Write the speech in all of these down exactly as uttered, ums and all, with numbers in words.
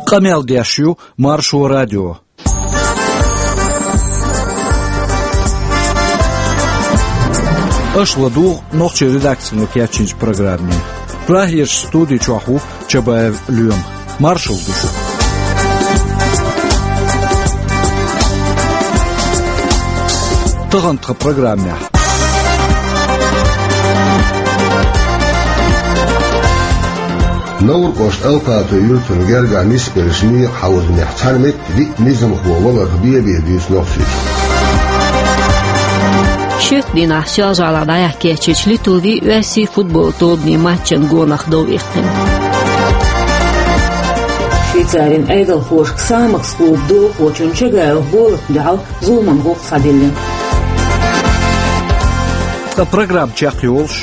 Къамел деш ю Маршо радио. Аша ладугӀу нохчийн редакцино кечйинчу программе. Прагерчу студи чохь ву Чабаев Лоьма. Маршалла ду шуьга. Тахана тхан программехь. Невран кӀоштан Алпатан юьртана гергахь нисбеллачу некъан хьовзанехь цхьана метта виъ низамхо валарх бен-бен дуьйцу нохчаша. Шоьтан дийнахь Соьлжа-ГӀалахь дӀаяхьа кечйинчу Литвин а, Оьрсийн а футболан тобанийн матчан гонах дов иккхина. Швейцарин Ӏедалхоша Ксамакс клубан долахочунна Чагаевх болатна дуьхьал зуламан гӀуллакх схьадиллина. Ткъа программа чекхйолуш.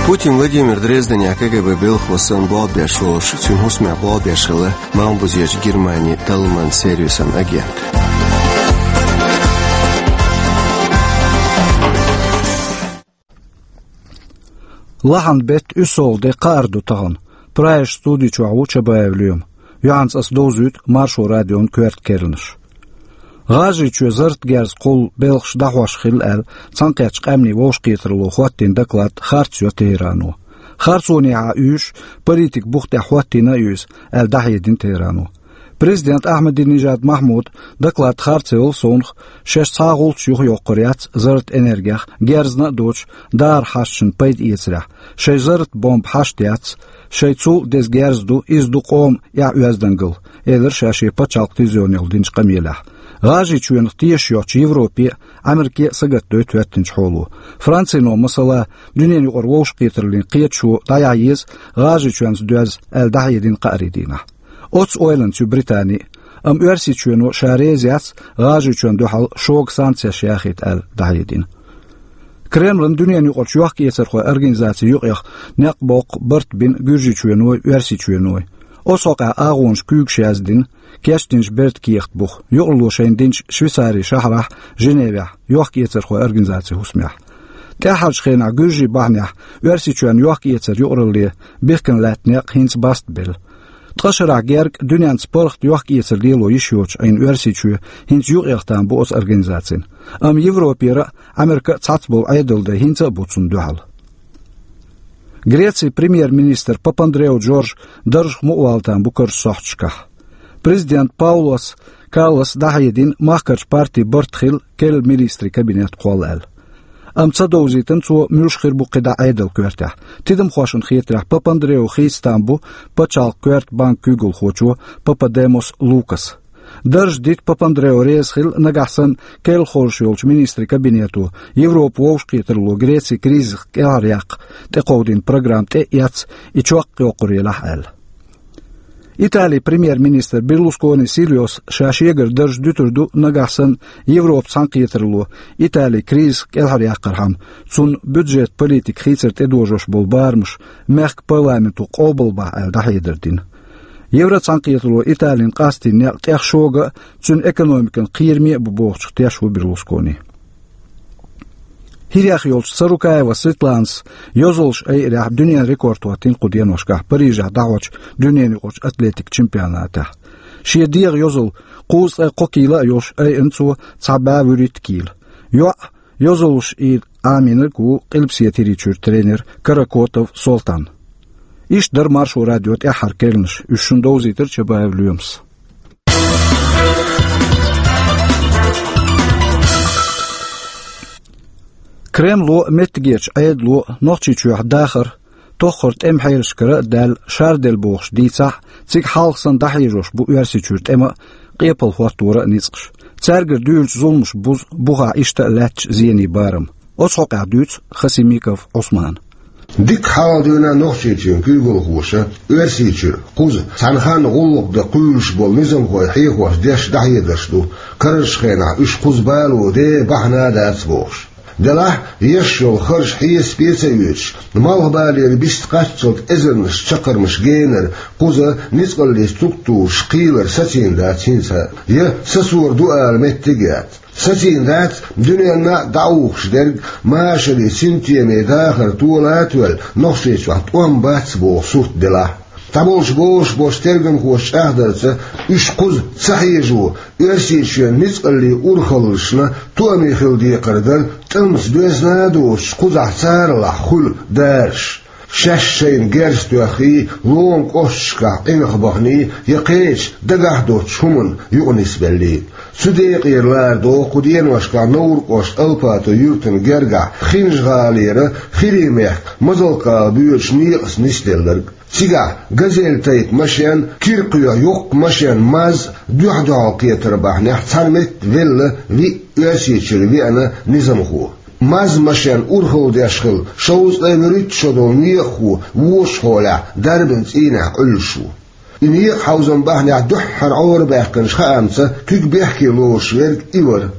Путин Владимир Дрезденехь КГБ белхало санна болх беш волуш, цуьнан хӀусамехь болх беш хилла Малхбузерчу Германин талламан сервисан агент. Лахьан беттан уьссалгӀа де, кхааран де ду тахана. Прагерчу студи чохь ву Чабаев Лоьма. Юьхьанца аса довзуьйту Маршо радион коьрта керланаш. ГӀажарийчоь зарратан герз кхуллу белхаш дӀахьош хилла аьлла, Цхьаьнакхеттачу Къаьмнийн вовшахкхетаралло хӀоттийна доклад харц йо Тегерано. Харцонехьа уьйш, политикан бух тӀехь хӀоттийна а ю иза, аьлла дӀахьедина Тегерано. Президент Ахьмадинежад Махьмуда доклад харц елла совнаха, шаьш цхьа а гӀулч юхайоккхур яц зарратан энергех, герзна а доцуш, дахаран хьашташна пайда эцарехь, шайн зарратан бомба хьашт яц, шайн цул а деза герз ду, иза ду къоман эхь-оьздангалла, элира ша шен пачхьалкхан телевизионехула динчу къамелехь. ГӀажарийчоьнах тешаш йоцчу Европе а, Ӏамеркане а сагатдойту хӀоьттинчу хьоло. Францино, масала, дуьненан юкъара вовшахкхетараллин кхеташо дӀаяхьа еза, ГӀажарийчоьнца доьзна, аьлла дӀахьедина кхаарин дийнахь. Оццу ойланца ю Британи а, амма Оьрсийчоьно ша реза яц ГӀажарийчоьнна дуьхьал шога санкцеш яхийта аьлла дӀахьедина. Кремлан дуьненан юкъарчу йохка-эцархойн организацин юкъех некъ боккха барт бина Гуьржийчоьной, Оьрсийчоьной. Оцу хьокъехь агӀонаш куьйгаш яздина, кечдинчу бертан кехат буха, юкъаралло шайна динчу Швейцарин шахьарахь, Женевехь, йохка-эцархойн организацин хӀусамехь. ТӀаьххьарчу хенахь гуьржийн бахьанехь Оьрсийчоьнна йохка-эцар юкъаралле бихкина лаьтта некъ хӀинца баста белла. Ткъа шарахь герга дуьненца паргӀат йохка-эцар лело йиш йоцуш Ӏийна Оьрсийчоь хӀинца юкъех там бу оцу организацина. Амма Европера а, Ӏамеркана а цхьацца болу Ӏедалан дай хӀинца а бу цунна дуьхьал. Грецин премьер-министр Папандреу Джордж даржах мукъавала там бу карарчу сохьташкахь. Президент Паулос Каллас дӀахьедина, махкарчу партин барт хилла керла министрийн кабинет кхолла аьлла. Амма ца довзийтина цо муьлш хир бу кхидӀа Ӏедалан коьртехь. Тидамхошна хетарехь, Папандреу хийца там бу пачхьалкхан коьрта банкан куьйгалхочо Пападемос Лукаса. Дарж дита Папандреу реза хилла, нагахь санна керла хоржуш йолчу министрийн кабинето Европан вовшахкхетаралло Греци кризисах кӀелхьаръяккха тӀекховдийна программа тӀе а эцна, и чекхйоккхур елахь аьлла. Италин премьер-министр Берлускони Сильвиос ша шегара дарж дуьтур ду, нагахь санна Европан цхьаьнакхетаралло Италин кризисах кӀелхьаръяккхархьама, цунна бюджетан политикан хийцар тӀедожош болу барамаш мехкан парламенто къобалбахь аьлла дӀахьедар дина. Евроцхьаьнакхетаралло Италина къастийна некъ тӀех шога а, цуьнан экономикана кхераме а бу бохучух тешна ву Берлускони. ХӀирах йолчу Царукаева Светланас йозаллаш айъинехь дуьненан рекорд хӀоттийна кху деношкахь Парижехь дӀахьочу дуьненан юкъарчу атлетикан чемпионатехь. Шен дегӀан йозалла кхузткъе кхо кийла а йолуш айъина цо цхьа бӀе вуьрхӀитта кийла. ЙоӀ йозаллаш айина Ӏамийнарг ву Къилбаседа ХӀирийчуьра тренер Каракотов Солтан. Иштта дара Маршо радион тӀаьххьара керланаш, уьш шуна довзийтира Чабаев Лоьмас. Кремло а, меттигерчу Ӏедало а Нохчийчохь дахар тоххара тӀеман хьелашкара а даьлла шарделла бохуш дийцахь а, цига хьалха санна дӀахьежош бу Оьрсийчуьра тӀема а, къепалан хӀотторан а ницкъаш. Цаьргара дуьйлучу зуламаша бузу бухахь иштта а лаьттачу зенийн барам. Оцу хьокъехь дуьйцу Хасимиков Ӏусмана. Дика хьалха дуьйна Нохчийчоьнан куьйгалхоша Оьрсийчуьра кхуза цхьана ханна гӀуллакх дан кхуьйлуш болу низамхой хьехош деш дӀахьедарш ду, карарчу хенахь уьш кхуза бало де бахьана а дац бохуш. Делахь а, еш йолу харж хьесапе а ца оьцуш, малхбалера бист кхаччалц эзарнаш чаккхармаш генара кхуза ницкъаллин структураш кхийлар сацийна дац хӀинца а, я сацор ду ала меттиг а яц. Сацийна дац дуьненна а дӀаухуш дерг, машаре, синтеме дахар тола а тоьлла, Нохчийчохь тӀом бац боху сурт делахь а. Цхьаболчу бохуш болчу тергамхоша чӀагӀдарца, уьш кхуза ца хьежо, Оьрсийчоьнан ницкъаллин урхаллашна тоаме хила декхар дара тӀамца доьзна а доцуш, кхузахь царалахь хуьлу дараш. Шаьш шайна герз тоьххий, лома кӀошташкахь къинхьа баханий, я кхечу дагахь доцчу хӀуманна юкъанисбеллий. Цу декъера лара догӀу кху деношкахь Невран кӀоштан Алпатов юьртана гергахь Хинжа-ГӀалера, ХӀирийн мехкан Мазалк-ГӀала боьдучу некъаца нисделларг. Цигахь газель тайпа машен, киркхоьху йоккха машен, МАЗ, дуьхь-дуьхьал кхетар бахьанехь цхьана метта велла виъ Оьрсийчуьра веана низамхо. МАЗ-машен урхалла деш хилла шовзткъе вуьрхӀитта шо долу некъахо вочу хьолехь дарбан цӀийнехь Ӏуьллуш ву. И некъахьовзам бахьанехь дуьххьара Ӏорабаьккхинчу хаамца куьг бехке лоруш верг и вара.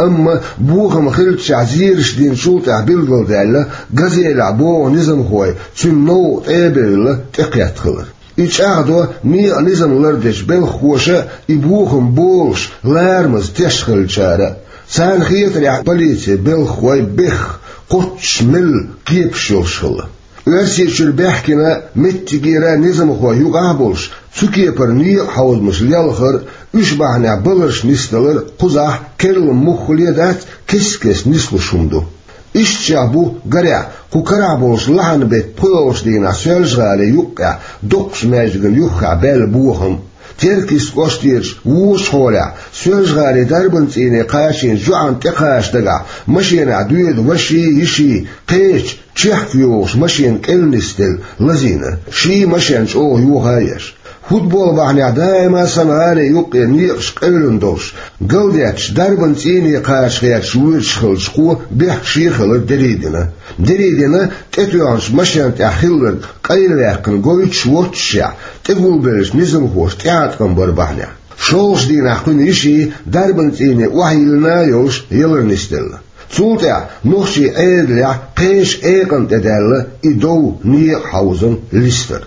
Амма бохам хиллачохь зераш динчул тӀаьхьа билгалдаьлла, газелехь богӀу низамхой цуьнан новкъа тӀе а бевлла, тӀекхетта хилар. И чӀагӀдо некъан низам лардечу белхахоша а, и бохам болуш ларамаза теш хиллачара а. Царна хетарехь, полицин белхахой бехха, кхоччуш мелла кепаш йолуш хилла. Оьрсийчуьра баьхкина меттигера низамхой юкъахь а болуш, цу кепара некъахьовзамаш лелхар а, уьш бахьанехь баларш нисдалар а кхузахь, керла муххале а дац, кест-кеста нислуш хӀума ду. Ишттачех бу, гарехь, кху карахь болчу лахьанан беттан пхоьалгӀачу дийнахь Соьлжа-ГӀалин юккъехь доккхачу маьждигна юххехь баьлла бохам. Теркйист кӀоштерчу вочу хьолехь, Соьлжа-ГӀалин дарбан цӀийне кхачийначу йоӀана тӀекхача дагахь, машенахь доьду ваший, йиший, кхечу чехка йогӀуш машена кӀел нисделла лазийна, ший машен чӀогӀа йоха а еш. Футбол бахьанехь даима санна гӀалин юккъе некъаш къевлина долуш, галдетташ дарбан цӀийне кхача гӀерташ воьдуш хиллачу кхо бехкаше а хилар дерриг дина. Дерриг дина тӀетоьхначу машен тӀехь хилларг къайлаваьккхина гойтуш воццушехь, тӀегулбеллачу низамхоша тӀеӀаткъам бар бахьанехь. ШолгӀачу дийнахь кхуьнан йиший дарбан цӀийне охьайиллина а йолуш ялар нисделла. Цул тӀаьхьа нохчийн Ӏедалехь кхечу экъана тӀе даьлла и дов, некъахьовзам листар.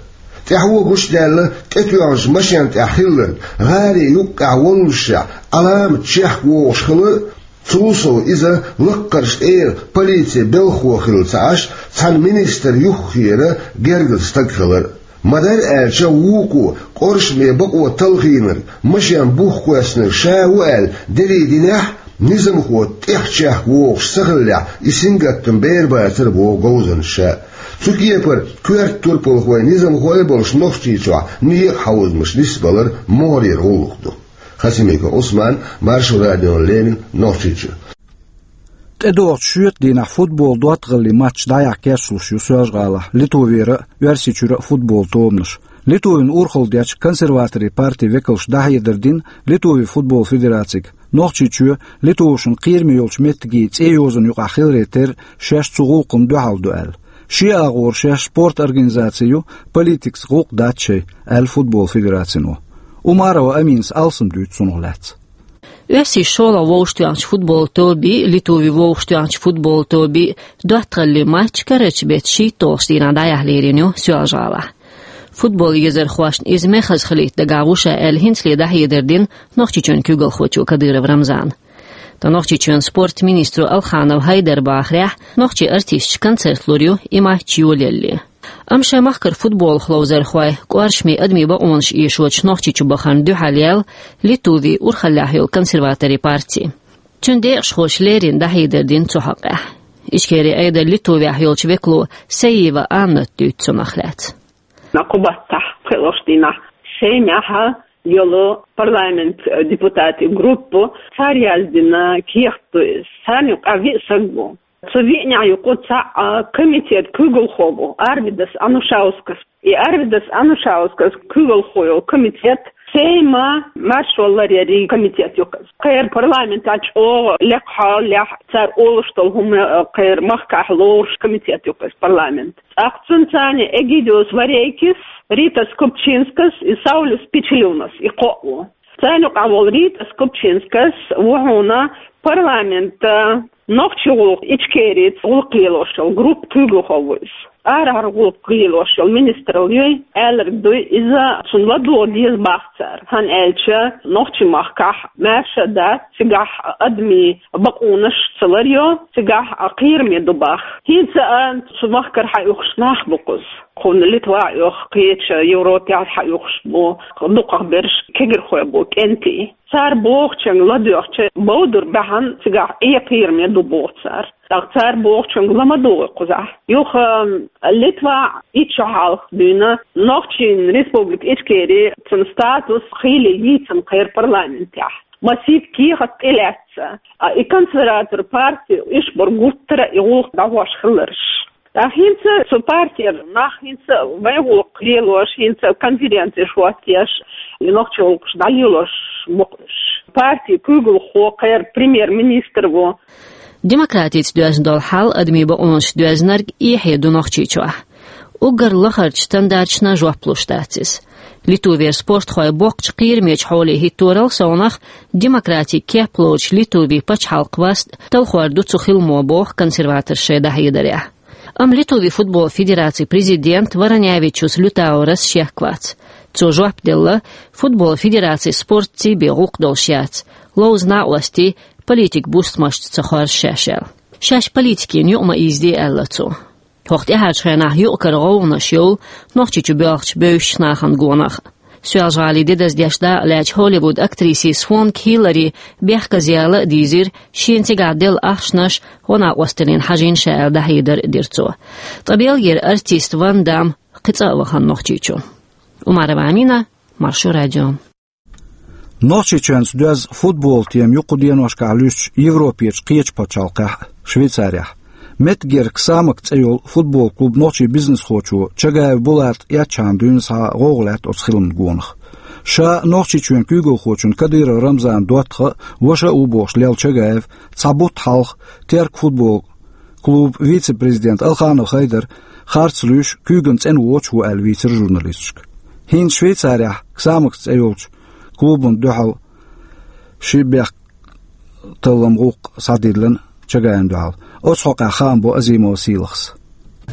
ТӀаьхьо гучудаьлла тӀетоьхначу машен тӀехь хилларг гӀалин юккъехь воллушехь Ӏаламат чехка вогӀуш хилар а, цул сов иза лаккхарчу тӀера полицин белхахо хилла ца Ӏаш, цхьана министран юххера гергара стаг хилар а. Ма-дарра аьлча, вукхо къоршаме бакъо талхийнарг, машен бух кхоьссинарг ша ву аьлла дерриг динехь а, низамхо тӀехь чехка вогӀуш ца хиллехь, и сингаттам бер бацара боху говзанчаша. Цу кепара коьрта турпалхой, низамхой а болуш Нохчийчохь некъахьовзамаш нисбалар могӀарера гӀуллакх ду. Хасимиков Ӏусман, Маршо радиона леррина, Нохчийчуьра. ТӀедогӀучу шоьтан дийнахь футбол доттагӀаллин матч дӀаяхьа кечлуш ю Соьлжа-ГӀалахь Литвера а, Оьрсийчуьра а футбол тобанаш. Литвин урхалла дечу консерваторийн партин векалша дӀахьедар дина Литвин футбол федерацига, Нохчийчоь Литвашна кхераме йолчу меттигийн цӀе йозанна юкъахь хиларе терра, шаьш цу гӀуллакхна дуьхьал ду аьлла. Шен агӀора шаьш спорт организаци ю, политикаца гӀуллакх дац шайн, аьлла футбол федерацино. Умарова Аминас алсам дуьйцу цунах лаьцна. Оьрсийн шолгӀа вовшахтоьхначу футбол тобий, Литвин вовшахтоьхначу футбол тобий доттагӀаллин матч карарчу беттан шийтталгӀачу дийнахь дӀаяхьа лерина ю Соьлжа-ГӀалахь. Футбол езархошна иза мехаза хилийта дагахь ву ша аьлла, хӀинцале дӀахьедар дина Нохчийчоьнан куьйгалхочо Кадыров Рамзана. Ткъа Нохчийчоьнан спортан министро Алханов Хьайдара бахарехь, нохчийн артисташа концерт лур ю и матч йолаялале. Амма шайн махкара футболах ловзархой, кӀоршаме адамийн бакъонаш эшочу Нохчийчу бахарна дуьхьал яьлла Литвин урхаллехь йолу консерваторийн парти. Цуьнан декъашхоша леррина дӀахьедар дина цу хьокъехь. Ичкерин Ӏедалан Литвехь йолчу векало Саиева Анната дуьйцу цунах лаьцна. Кху баттахь, пхоьалгӀачу дийнахь, Сеймехь йолу парламент депутатийн группа, цара яздина кехат ду иза. Царна юкъахь виъ стаг бу. Цу виънех юкъа цхьаъ комитет куьйгалхо бу, Арвидас Анушаускас. И Арвидас Анушаускас куьйгалхо йолу комитет Сейман маршо ларъярийн комитет ю иза. Кхеран парламентехь чӀогӀа лекха хьолехь, цара олуш долу хӀума кхеран махкахь лоруш комитет ю иза, парламент. ТӀаккха цуьнан царна Эгидиус Варейкис, Ритас Купчинскас и Саулюс Пичулюнас, и кхоъ ву. Царна юкъахь волу Ритас Купчинскас ву хьуна Парламента нохчийн гӀулакх Ичкерийца гӀулакх лелош йолу группа куьйгалхо ву иза. Арахьара гӀулакх лелош йолу министралла юй, аьлларг дуй, иза цунна ладогӀа деза бах цара. ХӀунда аьлча нохчийн махкахь маьрша дац, цигахь адамийн бакъонаш ца ларйо, цигахь кхераме ду бах. ХӀинца а цу махкара хьаоьхуш нах бу кхуза. Кхунна Литва а оьху, кхечу Европехь хьаоьхуш бу, дукхах берш кегирхой бу, кӀентий. Цара бохучуьнга ладоьгӀча, бовдур бахьана цигахь Ӏе кхераме ду боху цара. ТӀаккха цара бохучуьнга ла ма догӀу кхузахь. Юха Литва итт шо хьалха дуьйна Нохчийн Республика Ичкери цуьнан статус хийла йийцина кхеран парламентехь. Массийтта кехат тӀелаьцна. А и консерватор парти уьш бара гуттара а и гӀуллакх дӀахьош хилларш. ТӀаккха хӀинца цу партера нах хӀинца вайн гӀуллакх лелош, хӀинца конференцеш хӀоттош, и нохчийн гӀуллакхаш дӀалелош бу-кх уьш. Партин куьйгалхо кхеран премьер-министр ву. Демократица доьзна долу хьал, адамийн бакъонаш доьзнарг эхье ду Нохчийчохь. Уггар лахарчу стандарташна жоп луш дац иза. Литвера спортхой боккхачу кхерамечу хьоле хӀитторал совнах демократин кеп лоцучу Литвин пачхьалкхан васт талхор ду цу хиламо, боху консерваторша шайн дӀахьедарехь. Амма Литвин футбол федерацин президент Варанявичус Лютаурас шек вац. Цо жоп делла, футбол федераци спортций бен гӀуллакх долуш яц, ловза накъостий политикан бустамашца ца хоржу шаьш аьлла. Шаьш политикина юкъа ма ийзаде аьлла цо. ХӀокху тӀаьхьарчу хенахь юкъ-кара гӀовгӀанаш йолу Нохчийчу боьлхучу бевзачу нахана гонах. Соьлжа-ГӀалин де даздеш дакъа лаьцначу Холливуд актрисин Свонг Хиллари бехказъяла а дийзира, шена цигахь делла ахчанаш гӀо-накъосталлина хьажийна ша аьлла дӀахьедар а дира цо. Ткъа Бельгера артист Ван Дам кхин цкъа а вахана Нохчийчу. Умарова Амина, Маршо радио. Нохчийчоьнца доьзна футболан тема ю кху деношкахь луьстуш Европерчу кхечу пачхьалкхехь а, Швейцарехь. Меттигерчу «Ксамакс» цӀе йолу футболан клубан нохчийн бизнесхочо Чагаев Булата эцчахьана дуьйна схьа гӀовгӀа лаьтта оцу хиламан гонах. Ша Нохчийчоьнан куьйгалхочун Кадыров Рамзанан доттагӀа а, ваша а ву бохуш лелла Чагаев цхьа бутт хьалха Теркан футболан клубан вице-президент Алханов Хайдар харц луьйш, куьйган цӀена воцуш ву аьлла вийцира журналисташка. ХӀинца Швейцарехь «Ксамакс» цӀе йолчу клубана дуьхьал ши бехкталламан гӀуллакх схьадиллина Чагаевна дуьхьал. Оцу хьокъехь хаам бо Азимова Сийлахьас.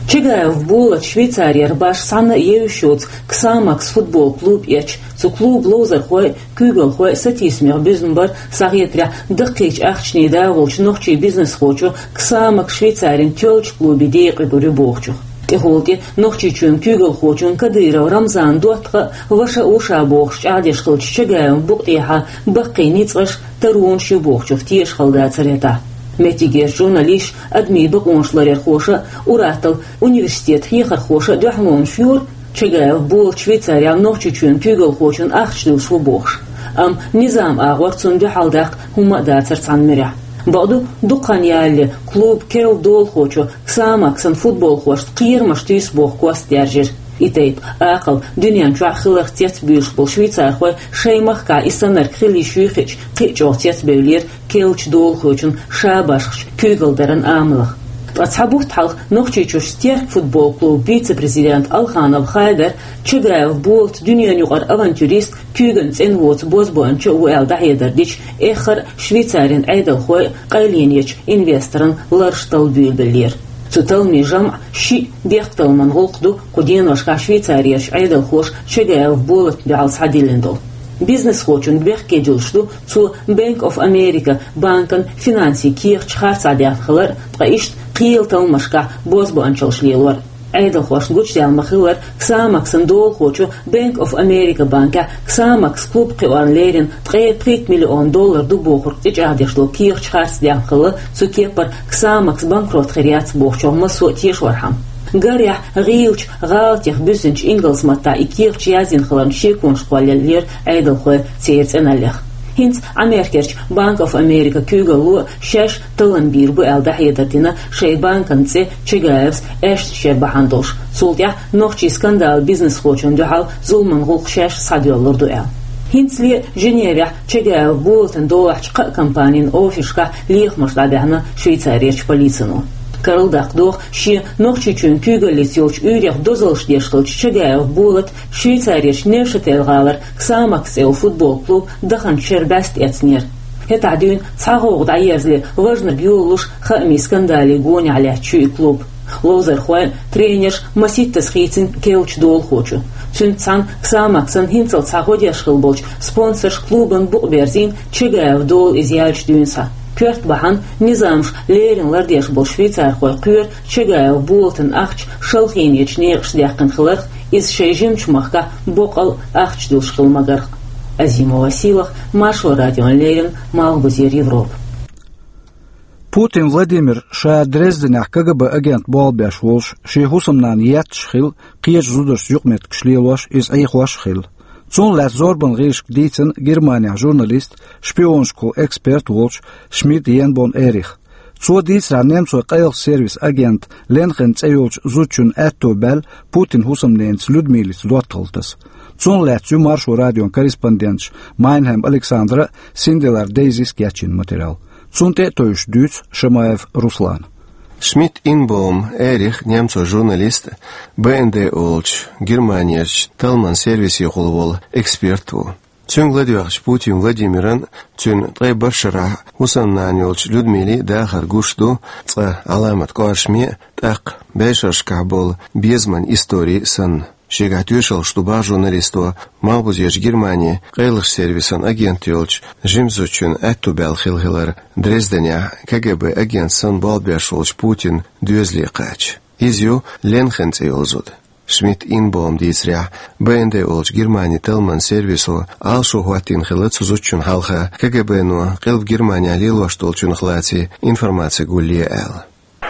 Чагаев Булата Швейцарера башха цхьанна а евзаш йоцу «Ксамакс» футболан клуб эцча, цу клубан ловзархой а, куьйгалхой а сатийсамех буьзна бара, схьахетарехь, даккхийчу ахчанийн дагӀа волчу нохчийн бизнесхочо «Ксамакс» Швейцарин тоьллачу клубе декъа гур ю бохучух. ТӀехула тӀе Нохчийчоьнан куьйгалхочун Кадыров Рамзанан доттагӀа а, ваша а ву ша бохуш чӀагӀдеш хиллачу Чагаевн букъа тӀехьа баккхий ницкъаш, таронаш ю бохучух тешаш хила дацара хӀетахь. Меттигерчу журналисташа, адамийн бакъонаш ларъярхоша а, ур-атталла университетан хьехархоша а дуьхьалонаш йора Чагаев Булата Швейцарехь Нохчийчоьнан куьйгалхочунна ахча дуьллуш ву бохуш. Амма низаман агӀор цунна дуьхьал даккха хӀумма а дацара цхьана муьрехь. Бакъду, дукха хан ялале клубан керла долахочо «Ксамаксан» футболхошна кхерамаш туьйсу боху кост даьржира. И тайпа акхал дуьнен чохь хиларх цецбуьйлуш болу швейцархой шайн махкахь и саннарг хила йиш юй хиъча, кхин а чӀогӀа цецбевллера керлачу долахочун ша башхачу куьйгалла даран амалах. Ткъа цхьа бутт хьалха Нохчийчуьрчу «Терк» футболан клубан вице-президент Алханов Хайдар Чагаев Булат дуьненан юкъара авантюрист, куьйган цӀена воцу бозбуунча а ву аьлла дӀахьедар дича, эххар а Швейцарин Ӏедалхой а къайленечу инвесторан лараш талла буьйлабеллера. Цу талламийн жамӀ шиъ бехкталламан гӀуллакх ду кху деношкахь Швейцарерчу Ӏедалхоша Чагаев Булатна дуьхьал схьадиллина долу. Бизнесхочун бехке дуьллуш ду цо Bank of America банкана финансийн кехаташ харцахьа даьхна хилар а, ткъа иштта кхелан талламашкахь бозбуунчаллаш лелор а. Ӏедалхошна гучудаьлла ма-хиллара, «Ксамаксан» долахочо Bank of America банкехь «Ксамакс» клуб кхиорна леррина ткъе пхийтта миллион доллар ду бохург тӀечӀагӀдеш долу кехаташ харц даьхна хилла, цу кеппара «Ксамакс» банкрот хир яц бохучух массо а тешорхьама. Гарехь, гӀийлачу, гӀалатех буьззинчу ингалс маттахь и кехаташ яздина хиларна шеконаш кхоллаеллера Ӏедалхой церан цӀеналлех. ХӀинца Америкерчу Bank of America куьйгалло шаьш таллам бийр бу аьлла дӀахьедар дина шайн банкан цӀе Чагаевс аьшнаш яр бахьана долуш. Цул тӀаьхьа нохчийн скандалан бизнесхочунна дуьхьал зуламан гӀуллакх шаьш схьадоьллур ду аьлла. ХӀинцале а Женевехь Чагаев Булатан долахьчу кхаа компанийн офисашкахь лехамаш дӀабаьхьна Швейцарерчу полицино. Карладаккха догӀу шен Нохчийчоьнан куьйгаллица йолчу уьйрех дозаллаш деш хиллачу Чагаев Булата Швейцарерчу Невшател-гӀалара «Ксамакс» цӀе йолу футболан клуб даханчу шеран бӀаьста эцнера. ХӀетахь дуьйна цхьа гӀовгӀа дӀаерзале, важнарг йолалуш хаамийн скандале гонехь лаьтташ ю и клуб. Ловзархой, тренерш маситтаза хийцина керлачу долахочун. Цуьнца цхьаьна ксамак санна хӀинццалц схьа гӀо деш хилла болчу спонсорша клубана букъ берзийна Чагаев Дола иза яьлча дуьйна схьа. Коьрта бахьана низамаш леррина лардеш болу швейцархой кхоьру Чагаев Болатан ахча шалхийнечу некъаш даьккхина хиларх, иза шайн жимачу махкахь боккъал ахча дуьллуш хилла магарх. Азимова Сийлаха, Маршо радиона леррина, Малхбузера Европа. Путин Владимир ша Дрезденехь КГБ агент болх беш волуш, шен хӀусамнана етташ хилла, кхечу зударшца юкъаметтигаш лелош, иза Ӏехош а хилла. Цунна лаьцна зорбанан гӀирсашка дийцина Германехь журналист, шпионашкахула эксперт волчу Шмидт Енбом Эрих. Цо дийцарехь, немцойн къайлахчу сервисан агент Ленхен цӀе йолчу зудчун аьтто баьлла Путинан хӀусамненца Людмилица доттагӀалла таса. Цунах лаьцна ю Маршо радион корреспонденташ Майнхем Александра а, Синделар Дейзис кечйина материал. Цунна тӀе а тевжаш дуьйцу Шамаев Руслана. Шмидт Инбом Эрих, немцойн журналист, Б Н Д олучу Германерчу талламан сервисехула волу эксперт ву. Цуьнга ладоьгӀча Путин Владимиран, цуьнан ткъе бархӀ шарахь хӀусамнана йолчу Людмилин дахар гуш ду цкъа Ӏаламат кӀоршаме а, тӀаккха бӀешерашкахь болу безаман истори а санна. Шегахь тоьшаллаш ду боху журналисто Малхбузерчу Германин къайлахчу сервисан агент йолчу жима зудчун аьтто баьлла хилла хилар Дрезденехь КГБ агент санна болх беш волчу Путинан доьзале кхача. Иза ю Ленхен цӀе йолу зуда. Шмидт Инбом дийцарехь, Б Н Д олучу Германин талламан сервисо Ӏалашо хӀоттийна хилла цу зудчунна хьалха КГБ-но Къилба Германехь лелош долчух лаций информаци гулъе аьлла.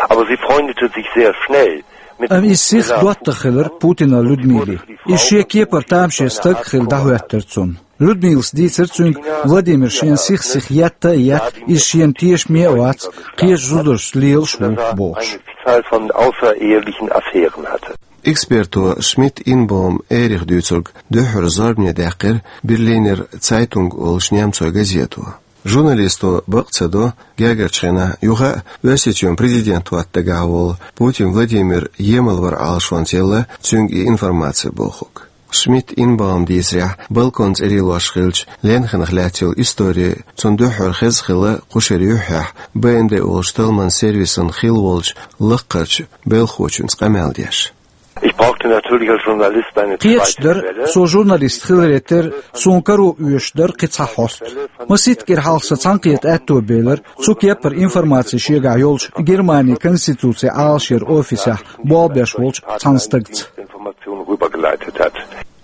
Aber sie freundete sich sehr schnell mit Амма иза сиха доттагӀа хилира Путинан Людмилин. Иза шен кепара тамаше стаг а хилла дӀахӀоьттира цунна. Людмилас дийцира цуьнга, Владимир шена сих-сиха етта а етта, иза шена тешаме а вац, кхечу зударшца лелаш ву бохуш. Eine Zahl von außerehelichen Affären hatte. Эксперто Шмидт Инбом Эрих дуьйцург дуьххьара зорбане даьккхира Берлинер Цайтунг олучу немцойн газето. Журналисто бакъ ца до, гергарчу хенахь юха а Оьрсийчоьнан президент хӀотта дагахь волу Путин Владимир емал вар Ӏалашонца елла цуьнга и информаци бохург. Шмидт Инбом дийцарехь, балкон цӀера лелош хиллачу Ленхенах лаьцна йолу истори цунна дуьххьара хезна хилла кху шеран юьххьехь Б Н Д олучу талламан сервисан хилла волчу лаккхарчу белхахочуьнца къамел деш. Ich brauchte natürlich als Journalist eine Кхеташ zweite дара, Quelle. Со журналист хиларе терра, суна каро оьшуш дара кхин цхьа хьоста. Масийтта кӀира хьалха сан цхьаьнакхета аьтто белира, цу кепара информаци шегахь йолчу Германин конституцин Ӏалашъяран офисехь болх беш волчу цхьана стагца. Information rübergeleitet hat.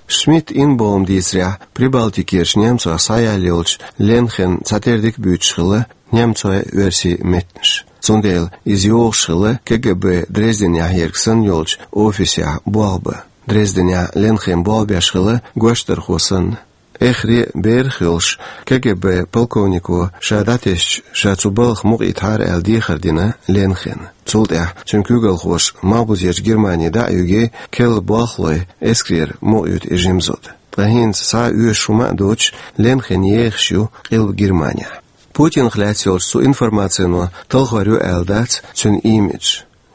Шмидт Инбом дийцарехь, Прибалтикерчу немцойх схьаяьлла йолчу Ленхен цхьатерра дика буьйцуш хилла немцойн а, оьрсийн а меттанаш. Цундела иза йогӀуш хилла КГБ Дрезденехь ерг санна йолчу офисехь болх бан. Дрезденехь Ленхен болх беш хилла гочдархо санна. Эххар а, берах а йолуш, КГБ полковнико ша дӀатесча, ша цу балхах мукъаийтахьара аьлла дехар дина Ленхена. Цул тӀаьхьа цуьнан куьйгалхоша Малхбузерчу Германе дӀа а юьгий, керла болхлойн эскарера мукъаюьту и жима зуда. Ткъа хӀинца схьа а оьшуш хӀума а доцуш, Ленхен ехаш ю Къилба Германехь. Путинах лаьцна йолчу цу информацино талхор ю аьлла дац цуьнан имидж.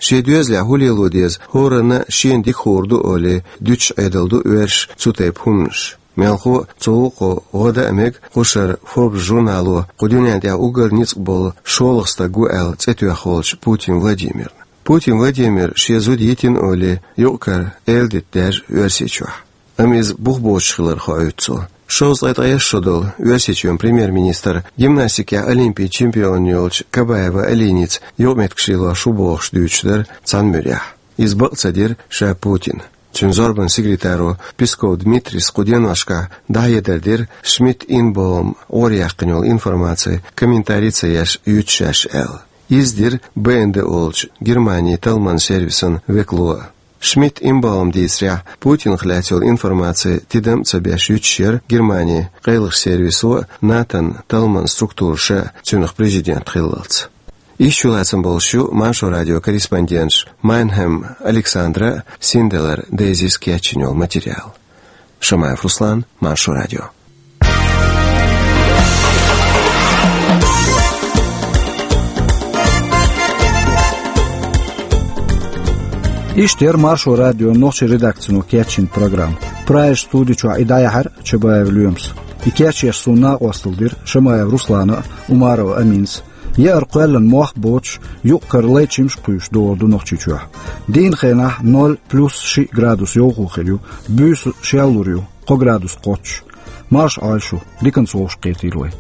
Шен доьзалехь хӀун лело деза, хӀоранна а шена дика хуур ду олий, дуьтуш Ӏедал ду оьрсаша цу тайпа хӀуманаш. Мелхо а, цу гӀуллакхо гӀо дан а мега кху шарахь Forbes журнало кху дуьнен тӀехь уггар ницкъ болу шолгӀа стаг ву аьлла цӀе тоьхна волчу Путин Владимирна. Путин Владимир шен зуда йитина олий, юкъ-кара эладита даьржа Оьрсийчохь. Амма иза бух боцуш хилар хоуьйту цо. Шовзткъе ткъайесна шо долу Оьрсийчоьнан премьер-министр гимнастикехь олимпийн чемпион йолчу Кабаева Алиница юкъаметтигаш лелош ву бохуш дуьйцуш дара цхьана муьрехь. Иза бакъ ца дира ша Путина. Цуьнан зорбанан секретаро Песков Дмитрийс кху деношкахь дӀахьедар дира, Шмидт Инбом Ӏораяьккхина йолу информаци комментари ца еш юьтуш шаьш аьлла. Иза дира Б Н Д олучу Германин талламан сервисан векало а. Шмидт Инбом дийцарехь, Путинах лаьцна йолу информаци тидам а ца беш юьтуш яра Германин къайлахчу сервисо а, НАТОн талламан структураша а цуьнах президент хиллалц. Иштта чулацам болуш ю Маршо радион корреспонденташ Майнхем Александра а, Синделар Дейзис кечйина йолу материал. Шамаев Руслан, Маршо радио. Иштта яра Маршо радион нохчийн редакцино кечйина программа. Прагерчу студи чохь и дӀаяьхьира Чабаев Лоьмас. И кечъеш суна накъостал дира Шамаев Руслана а, Умарова Аминас а. Яар кхоьллина мох боцуш, юкъ-кара лай чимаш кхуьйсуш догӀур ду Нохчийчохь. Дийнан хенахь ноль плюс шиъ градус йовхо хир ю, буьйса шеллур ю, кхо градус кхоччуш. Марша Ӏойла шу, диканца вовшахкхетийла вай.